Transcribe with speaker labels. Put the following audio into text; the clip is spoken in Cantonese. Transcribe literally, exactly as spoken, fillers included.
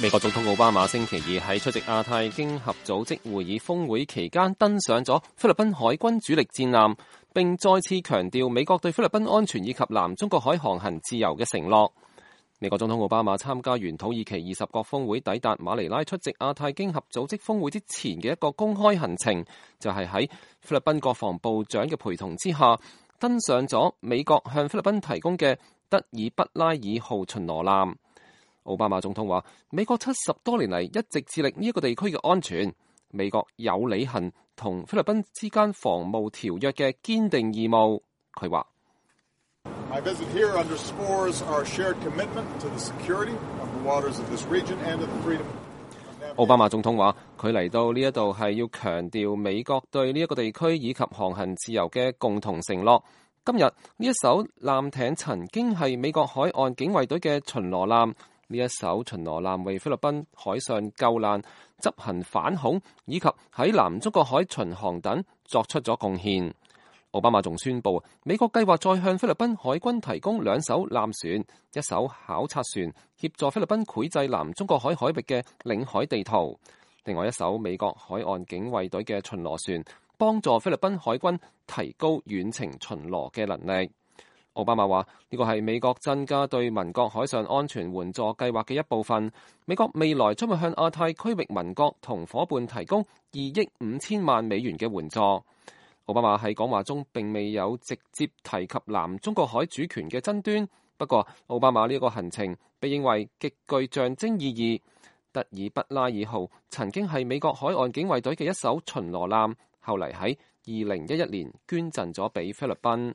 Speaker 1: 美國總統奧巴馬星期二喺出席亞太經合組織會議峰會期間登上咗菲律賓海軍主力戰艦，並再次強調美國對菲律賓安全以及南中國海航行自由嘅承諾。美國總統奧巴馬參加完土耳其二十國峰會抵達馬尼拉出席亞太經合組織峰會之前嘅一個公開行程，就係喺菲律賓國防部長嘅陪同之下，登上咗美國向菲律賓提供嘅德爾畢拉爾號巡邏艦。奧巴馬總統話：美國七十多年嚟一直致力呢一個地區嘅安全，美國有履行同菲律賓之間防務條約嘅堅定義務。佢話：奧巴馬總統話：佢嚟到呢一度係要強調美國對呢一個地區以及航行自由嘅共同承諾。今日呢一艘艦艇曾經係美國海岸警衛隊嘅巡邏艦。呢一艘巡邏艦為菲律賓海上救難、執行反恐以及喺南中國海巡航等作出咗貢獻。奧巴馬仲宣布，美國計劃再向菲律賓海軍提供兩艘艦船、一艘考察船，協助菲律賓繪製南中國海海域嘅領海地圖。另外一艘美國海岸警衛隊嘅巡邏船，幫助菲律賓海軍提高遠程巡邏嘅能力。奧巴馬話：呢個係美國增加對盟國海上安全援助計劃嘅一部分。美國未來將會向亞太區域盟國同夥伴提供二億五千萬美元嘅援助。奧巴馬喺講話中並未有直接提及南中國海主權嘅爭端，不過奧巴馬呢一個行程被認為極具象徵意義。德爾畢拉爾號曾經係美國海岸警衛隊嘅一艘巡邏艦，後嚟喺二零一一年捐贈咗俾菲律賓。